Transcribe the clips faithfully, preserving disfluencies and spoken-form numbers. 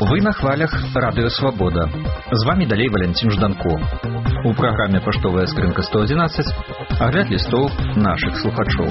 Вы на хвалях Радыё Свабода. З вами далей Валянцін Жданко. У праграме «Паштовая скрынка сто адзінаццаць» агляд лістоў нашых слухачоў.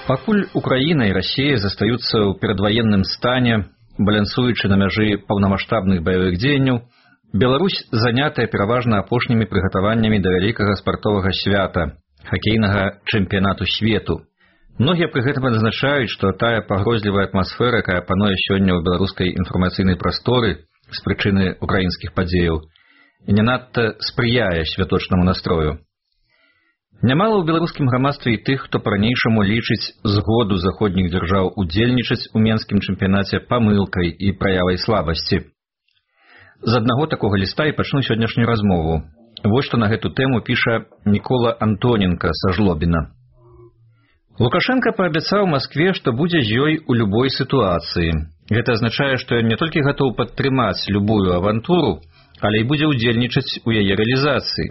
Пакуль Украіна і Расія застаюцца ў перадваенным стане, балансуючы на мяжы паўнамаштабных баявых дзеянняў, Беларусь занятая пераважна апошнімі прыгатаваннямі да вялікага спартовага свята – хакейнага чэмпіянату свету. Многія пры гэтым адзначаюць, што тая пагрозлівая атмасфера, якая пануе сёння ў беларускай інфармацыйнай прасторы з прычыны украінскіх падзеяў, не надта спрыяе святочнаму настрою. Нямала ў беларускім грамадстве і тых, хто па-ранейшаму лічыць згоду заходніх дзяржаў удзельнічаць у менскім чэмпіянаце памылкай і праявай слабасці. З аднаго такога ліста і пачну сённяшнюю размову. Вось што на гэту тэму піша Мікола Антоненка са Жлобіна. Лукашенка паабяцаў Маскве, што будзе з ёй у любой сітуацыі. Гэта азначае, што ён не толькі гатоў падтрымаць любую авантуру, але і будзе ўдзельнічаць у яе рэалізацыі.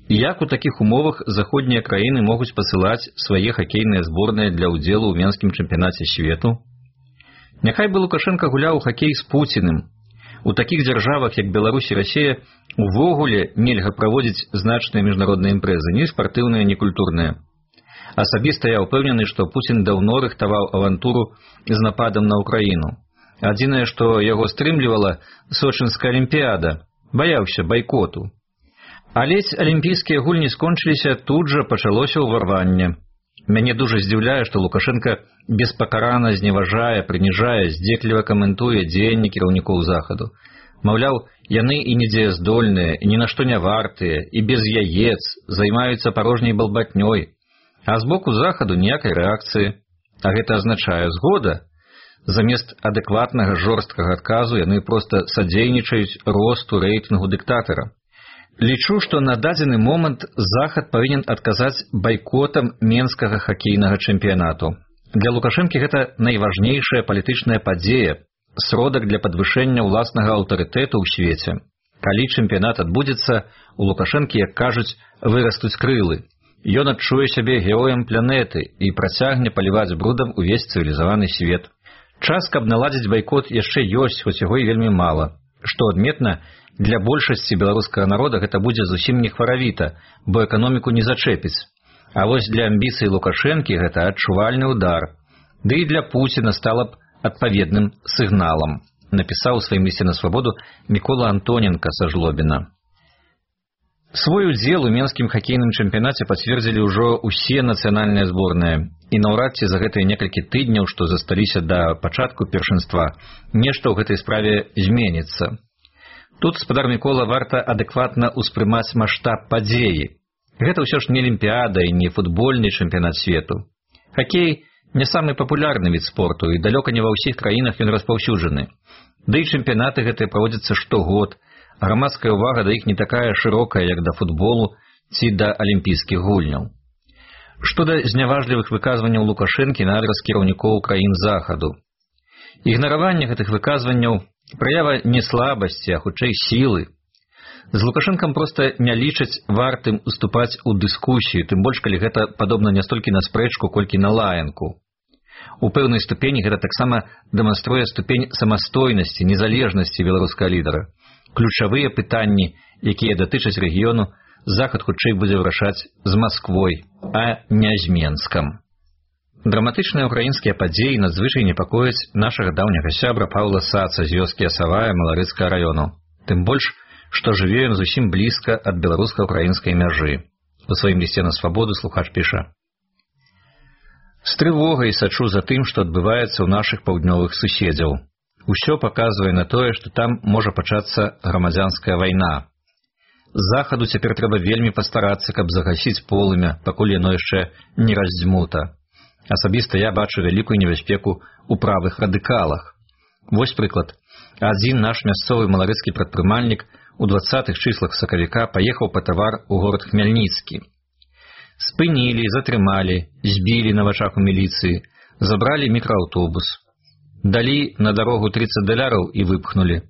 І як у такіх умовах заходнія краіны могуць пасылаць свае хакейныя зборныя для ўдзелу ў менскім чэмпіянаце свету? Няхай бы Лукашенка гуляў у хакей з Пуціным. У такіх дзяржавах, як Беларусь і Расія, увогуле нельга праводзіць значныя міжнародныя імпрэзы, ні спартыўныя, ні культурныя. Асабіста я ўпэўнены, што Пуцін даўно рыхтаваў авантуру з нападам на Украіну. Адзінае, што яго стрымлівала Сочынская алімпіяда, баяўся байкоту. Але алімпійскія гульні скончыліся, тут жа пачалося ўварванне. Мяне дужа здзіўляе, што Лукашенка беспакарана зневажае, прыніжае, здзекліва каментуе дзеянні кіраўнікоў захаду. Маўляў, яны і недзеяздольныя, і ні на што не вартыя, і без яец, займаюцца парожняй балбатнёй. А з боку захаду ніякай рэакцыі. А гэта азначае згода. Замест адэкватнага жорсткага адказу яны проста садзейнічаюць росту рэйтынгу дыктатара. Лічу, што на дадзены момант захад павінен адказаць байкотам менскага хакейнага чэмпіянату. Для Лукашэнкі гэта найважнейшая палітычная падзея, сродак для падвышэння ўласнага аўтарытэту ў свеце. Калі чэмпіянат адбудзецца, у Лукашэнкі, як кажуць, вырастуць крылы. Ён адчуе сябе героем планеты і працягне паліваць брудам увесь цывілізаваны свет. Час, каб наладзіць байкот, яшчэ ёсць, хоць яго і вельмі мала. Што адметна, для большасці беларускага народа гэта будзе зусім не хваравіта, бо эканоміку не зачэпіць. А вось для амбіцый Лукашэнкі гэта адчувальны ўдар. Ды і для Пуціна стала б адпаведным сігналам, напісаў у сваім лісце на Свабоду Мікола Антоненка са Жлобіна. Свой удзел у менскім хакейным чэмпіянаце пацвердзілі ўжо ўсе нацыянальныя зборныя, і наўрад ці за гэтыя некалькі тыдняў, што засталіся да пачатку першынства, нешта ў гэтай справе зменіцца. Тут, спадар Мікола, варта адэкватна ўспрымаць маштаб падзеі. Гэта ўсё ж не алімпіяда і не футбольны чэмпіянат свету. Хакей не самы папулярны від спорту, і далёка не ва ўсіх краінах ён распаўсюджаны. Да і чэмпіянаты гэтыя праводзяцца штогод, а грамадская ўвага да іх не такая шырокая, як да футболу ці да алімпійскіх гульняў. Што да зняважлівых выказванняў Лукашэнкі на адрас кіраўнікоў краін захаду. Ігнараванне гэтых выказванняў праява не слабасці, а хутчэй сілы. З Лукашэнкам проста не лічаць вартым уступаць у дыскусію, тым больш, калі гэта падобна не столькі на спрэчку, колькі на лаянку. У пэўнай ступені гэта таксама дэманструе ступень самастойнасці, незалежнасці беларускага лідара. Ключавыя пытанні, якія датычаць рэгіёну, захад хутчэй будзе вырашаць з Масквой, а не з Менскам. Драматычныя ўкраінскія падзеі надзвычай непакояць нашага даўняга сябра Паўла Саца з вёскі Асавая Маларыцкага раёну. Тым больш, што жыве ён зусім блізка ад беларуска-ўкраінскай мяжы. У сваім лісце на Свабоду слухач піша: «З трывогай сачу за тым, што адбываецца ў нашых паўднёвых суседзяў. Усё паказвае на тое, што там можа пачацца грамадзянская вайна. Захаду цяпер трэба вельмі пастарацца, каб загасіць полымя, пакуль яно яшчэ не раздзьмута. Асабіста я бачу вялікую небяспеку ў правых радыкалах. Вось прыклад. Адзін наш мясцовы маларыцкі прадпрымальнік у дваццатых чыслах сакавіка паехаў па тавар у горад Хмяльніцкі. Спынілі, затрымалі, збілі на вачах у міліцыі, забралі мікрааўтобус. Далі на дарогу тридцать даляраў і выпхнулі.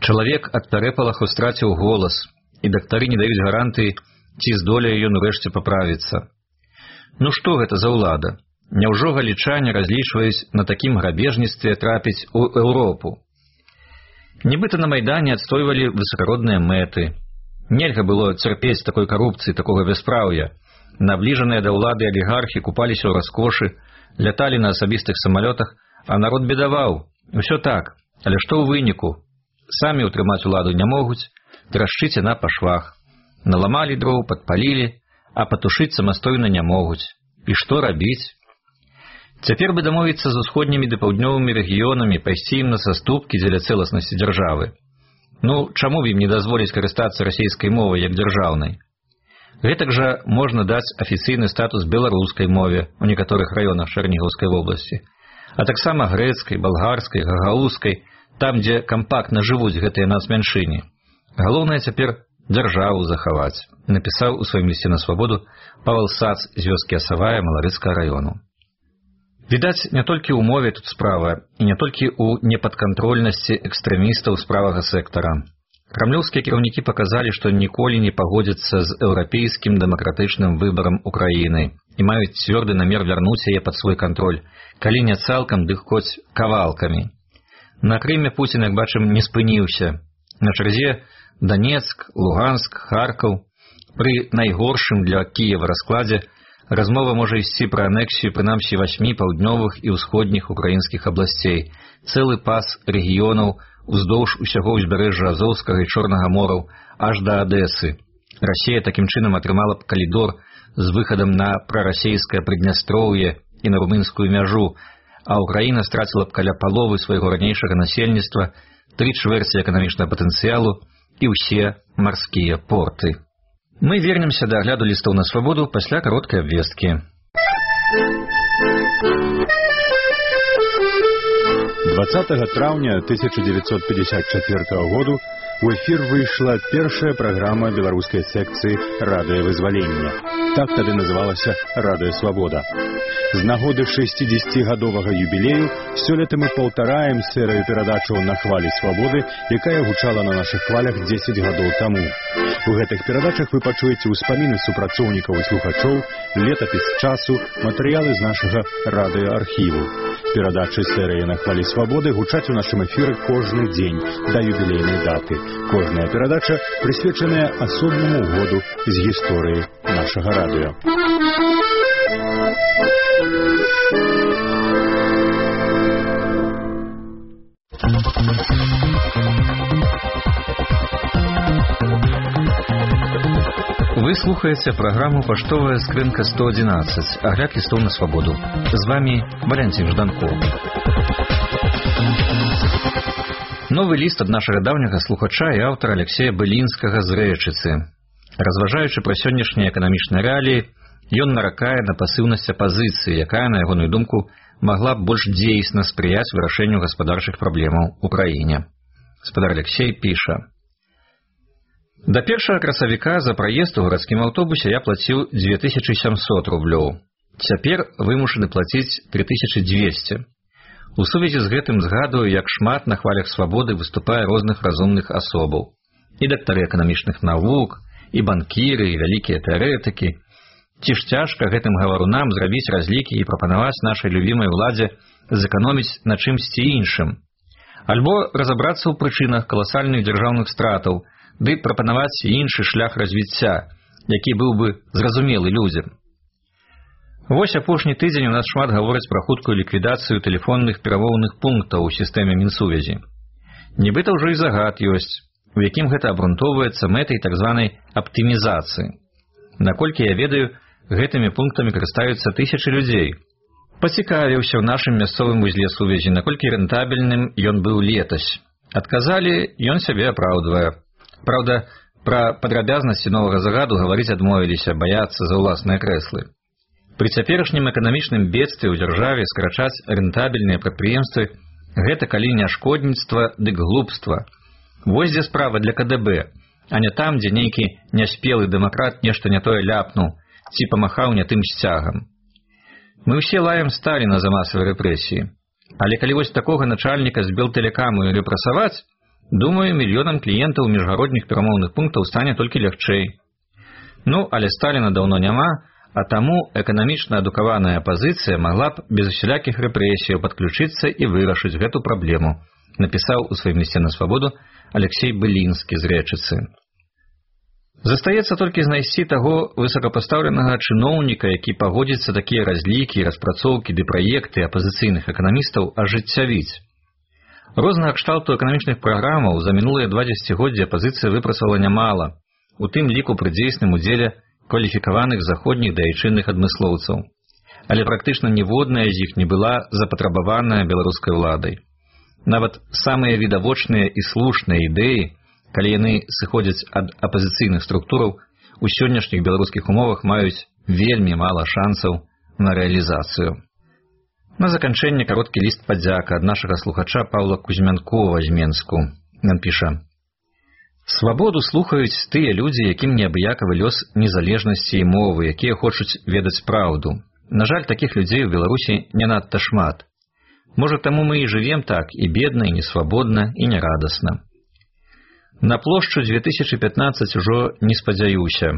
Чалавек ад пярэпалаху страціў голас і дактары не даюць гарантыі, ці здолее ён урэшце паправіцца. Ну што гэта за ўлада? Няўжо галічане разлічваюць на такім грабежніцтве трапіць у Еўропу? Нібыта на Майдане адстойвалі высакародныя мэты. Нельга было цярпець такой карупцыі, такога бяспраўя. Набліжаныя да ўлады алігархі купаліся ў раскошы, ляталі на асабістых самалётах, а народ бедаваў. Усё так, але што ў выніку? Самі ўтрымаць уладу не могуць, трашчыць яна па швах. Наламалі дроў, падпалілі, а патушыць самастойна не могуць. І што рабіць? Цяпер бы дамовіцца з усходнімі ды паўднёвымі рэгіёнамі, пайсці ім на саступкі дзеля цэласнасці дзяржавы. Ну, чаму б ім не дазволіць карыстацца расейскай мовай як дзяржаўнай? Гэтак жа можна даць афіцыйны статус беларускай мове ў некаторых раёнах Чарнігаўскай вобласці, а таксама грэцкай, балгарскай, гагаузскай, там, дзе кампактна жывуць гэтыя нацмяншыні. Галоўнае цяпер дзяржаву захаваць, напісаў у сваім лісце на свабоду Павел Сац з вёскі Асавая Маларыцкага раёну. Відаць, не толькі ў мове тут справа, і не толькі ў непадкантрольнасці экстрэмістаў з правага сектара. Крамлёўскія кіраўнікі паказалі, што ніколі не пагодзяцца з еўрапейскім дэмакратычным выбарам Украіны і маюць цвёрды намер вярнуць яе пад свой кантроль, калі не цалкам, дык хоць кавалкамі. На Крыме Пуцін, як бачым, не спыніўся. На чарзе Донецк, Луганск, Харкаў. Пры найгоршым для Кіева раскладзе размова можа ісці пра анексію прынамсі васьмі паўднёвых і ўсходніх украінскіх абласцей, цэлы пас рэгіёнаў уздоўж усяго ўзбярэжжа Азоўскага і Чорнага мораў аж да Адэсы. Расія такім чынам атрымала б калідор з выхадам на прарасейскае Прыднястроўе і на румынскую мяжу, а Украіна страціла б каля паловы свайго ранейшага насельніцтва, тры чвэрці эканамічнага патэнцыялу і ўсе марскія порты. Мы вернемся да агляду лістоў на свабоду пасля кароткай абвесткі. двадцатага траўня тысяча дзевяцьсот пятьдесят четвёртого году у эфір выйшла першая праграма беларускай секцыі радыёвызвалення. Так тады называлася «Радыё Свабода». З нагоды шэсцідзесяцігадовага юбілею сёлета мы паўтараем серыю перадачаў на хвалі свабоды, якая гучала на нашых хвалях дзесяць гадоў таму. У гэтых перадачах вы пачуеце ўспаміны супрацоўнікаў і слухачоў, летапіс часу, матэрыялы з нашага радыёархіву. Перадачы серыі на хвалі свабоды гучаць у нашым эфіры кожны дзень да юбілейнай даты. Кожная перадача прысвечаная асобнаму году з гісторыі нашага радыё. Вы слухаеце праграму «Паштовая скрынка сто одиннадцать», агляд лістоў на свабоду. З вами Валентин Жданков. Новы ліст ад нашага даўняга слухача і аўтара Алексея Былінскага з Рэчыцы. Разважаючы пра сённяшнія эканамічныя рэаліі, ён наракае на пасыўнасць апазіцыі, якая, на ягоную думку, магла б больш дзейсна спрыяць вырашэнню гаспадарчых праблемаў у краіне. Гаспадар Алексей піша: «Да першага красавіка за праезд у гарадскім аўтобусе я плаціў дзве тысячы сямсот рублёў. Цяпер вымушаны плаціць тры тысячы дзвесце. У сувязі з гэтым згадую, як шмат на хвалях свабоды выступае розных разумных асобаў. І дактары эканамічных навук, і банкіры, і вялікія тэарэтыкі. Ці ж цяжка гэтым гаварунам зрабіць разлікі і прапанаваць нашай любімай уладзе зэканоміць на чымсьці іншым? Альбо разабрацца ў прычынах каласальных дзяржаўных стратаў, ды прапанаваць іншы шлях развіцця, які быў бы зразумелы людзям. Вось апошні тыдзень у нас шмат гавораць пра хуткую ліквідацыю тэлефонных перамоўных пунктаў у сістэме Мінсувязі. Нібыта ўжо і загад ёсць, у якім гэта абрунтоўваецца мэтай так званай аптымізацыі. Наколькі я ведаю, гэтымі пунктамі карыстаюцца тысячы людзей. Пацікавіўся ў нашым мясцовым вузле сувязі, наколькі рэнтабельным ён быў летась. Адказалі, ён сябе апраўдвае. Праўда, пра падрабязнасці новага загаду гаварыць адмовіліся, баяцца за ўласныя крэслы. Пры цяперашнім эканамічным бедстве ў дзяржаве скарачаць рэнтабельныя прадпрыемствы – гэта калі не шкодніцтва, дык глупства. Вось дзе справа для ка дэ бэ, а не там, дзе нейкі няспелы дэмакрат нешта не тое ляпнуў ці памахаў не тым сцягам. Мы ўсе лаем Сталіна за масавыя рэпрэсіі, але калі вось такога начальніка з Белтэлекаму рэпрэсаваць, Думаю, мільёнам кліентаў міжгародніх перамоўных пунктаў стане толькі лягчэй. Ну, але Сталіна даўно няма, а таму эканамічна адукаваная апазіцыя магла б без усялякіх рэпрэсіяў падключыцца і вырашыць гэту праблему, напісаў у сваім лісце на свабоду Алексей Былінскі з Рэчыцы. Застаецца толькі знайсці таго высокапастаўленага чыноўніка, які пагодзіцца такія разлікі, распрацоўкі ды праекты апазіцыйных эканамістаў ажыццявіць. Рознага кшталту эканамічных праграмаў за мінулыя два дзесяцігоддзі апазіцыя выпрацавала нямала, у тым ліку пры дзейсным удзеле кваліфікаваных заходніх да айчынных адмыслоўцаў. Але практычна ніводная з іх не была запатрабаваная беларускай уладай. Нават самыя відавочныя і слушныя ідэі, калі яны сыходзяць ад апазіцыйных структураў, у сённяшніх беларускіх умовах маюць вельмі мала шансаў на рэалізацыю. На заканчэнне кароткі ліст падзяка ад нашага слухача Паўла Кузьмянкова з Менску. Ён піша: «Свабоду слухаюць тыя людзі, якім неабыякавы лёс незалежнасці і мовы, якія хочуць ведаць праўду. На жаль, такіх людзей у Беларусі не надта шмат. Можа, таму мы і жывем так, і бедна, і несвабодна, і нерадасна. На плошчу дзве тысячы пятнаццаць ужо не спадзяюся.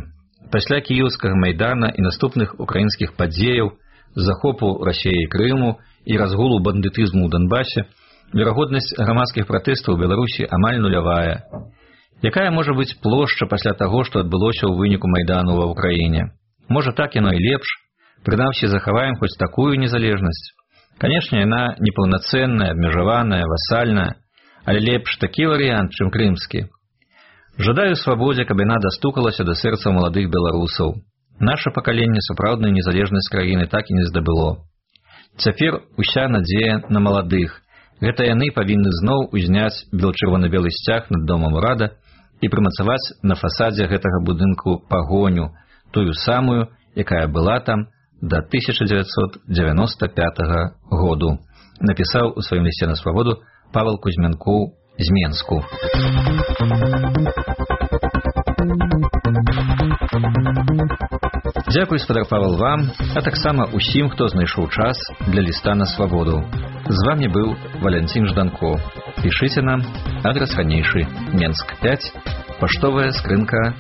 Пасля кіеўскага майдана і наступных украінскіх падзеяў, захопу Расіі і Крыму і разгулу бандытызму ў Донбасе, верагоднасць грамадскіх пратэстаў у Беларусі амаль нулявая. Якая можа быць плошча пасля таго, што адбылося ў выніку майдану ва ўкраіне? Можа, так яно і лепш, прынамсі захаваем хоць такую незалежнасць. Канешне, яна непаўнацэнная, абмежаваная, васальная, але лепш такі варыянт, чым крымскі. Жадаю свабодзе, каб яна дастукалася да сэрца маладых беларусаў. Наша пакаленне сапраўднай незалежнасць краіны так і не здабыло. Цяпер уся надзея на маладых. Гэта яны павінны зноў узняць бел-чырвона-белы сцяг над домам урада і прымацаваць на фасадзе гэтага будынку пагоню, тую самую, якая была там да тысяча дзевяцьсот дзевяноста пятага году, напісаў у сваім лісце на свабоду Павел Кузьмянкоў з Менску. Дзякуй, спадар Павел, вам, а таксама усім, хто знайшоў час для ліста на свабоду. З вами быў Валянцін Жданко. Пішыце нам, адрас ранейшы, Менск пяць, паштовая скрынка